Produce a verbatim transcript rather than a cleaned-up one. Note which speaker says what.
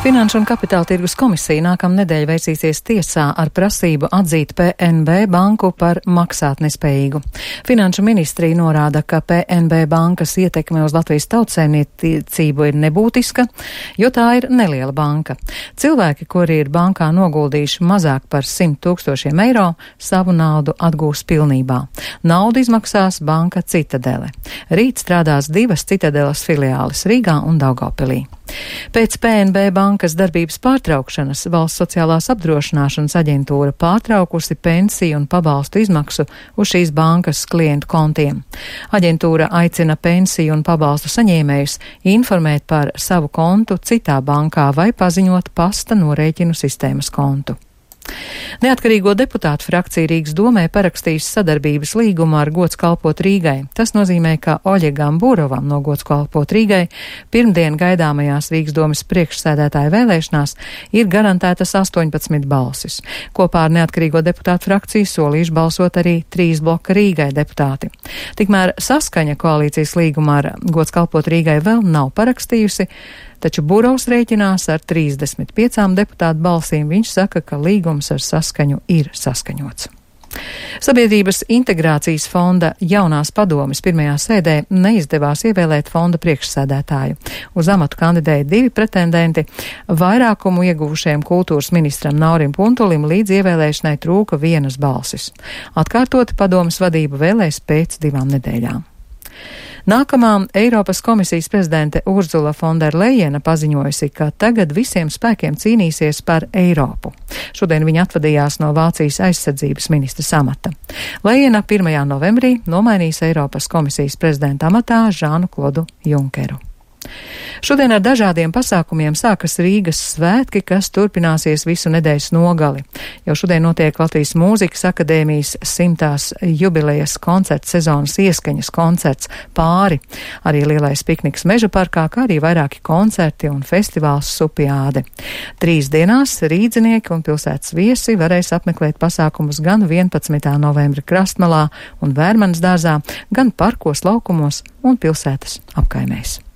Speaker 1: Finanšu un kapitāla tirgus komisija nākamnedēļ vērsīsies tiesā ar prasību atzīt P N B banku par maksātnespējīgu. Finanšu ministrija norāda, ka P N B bankas ietekme uz Latvijas tautsēmniecību ir nebūtiska, jo tā ir neliela banka. Cilvēki, kuri ir bankā noguldījuši mazāk par simt tūkstošiem eiro, savu naudu atgūs pilnībā. Naudu izmaksās banka Citadele. Rīt strādās divas Citadeles filiāles Rīgā un Daugavpilī. Pēc P N B bankas darbības pārtraukšanas Valsts sociālās apdrošināšanas aģentūra pārtraukusi pensiju un pabalstu izmaksu uz šīs bankas klientu kontiem. Aģentūra aicina pensiju un pabalstu saņēmējus informēt par savu kontu citā bankā vai paziņot pasta norēķinu sistēmas kontu. Neatkarīgo deputātu frakcija Rīgas domē parakstījusi sadarbības līgumu ar Gods kalpot Rīgai. Tas nozīmē, ka Oļegam Burovam no Gods kalpot Rīgai pirmdien gaidāmajās Rīgas domes priekšsēdētāja vēlēšanās ir garantētas astoņpadsmit balsis. Kopā ar neatkarīgo deputātu frakciju solījuši balsot arī trīs bloka Rīgai deputāti. Tikmēr Saskaņa koalīcijas līgumu ar Gods kalpot Rīgai vēl nav parakstījusi, taču Burovs rēķinās ar trīsdesmit piecām deputātu balsīm. Viņš saka, ka līgums ar Saskaņu ir saskaņots. Sabiedrības integrācijas fonda jaunās padomes pirmajā sēdē neizdevās ievēlēt fonda priekšsēdētāju. Uz amatu kandidēja divi pretendenti. Vairākumu ieguvušajam kultūras ministram Naurim Puntulim līdz ievēlēšanai trūka vienas balsis. Atkārtoti padomes vadību vēlēs pēc divām nedēļām. Nākamā Eiropas komisijas prezidente Urzula Fonderlejena paziņojusi, ka tagad visiem spēkiem cīnīsies par Eiropu. Šodien viņa atvadījās no Vācijas aizsardzības ministra amata. Lejena pirmajā novembrī nomainīs Eiropas komisijas prezidenta amatā Žānu Klodu Junkeru. Šodien ar dažādiem pasākumiem sākas Rīgas svētki, kas turpināsies visu nedēļas nogali. Jau šodien notiek Latvijas Mūzikas akadēmijas simtās jubilejas koncerta sezonas ieskaņas koncerts Pāri. Arī lielais pikniks Meža parkā, kā arī vairāki koncerti un festivāls Supiāde. Trīs dienās rīdzinieki un pilsētas viesi varēs apmeklēt pasākumus gan vienpadsmitā novembra Krastmalā un Vērmanas dārzā, gan parkos, laukumos un pilsētas apkaimēs.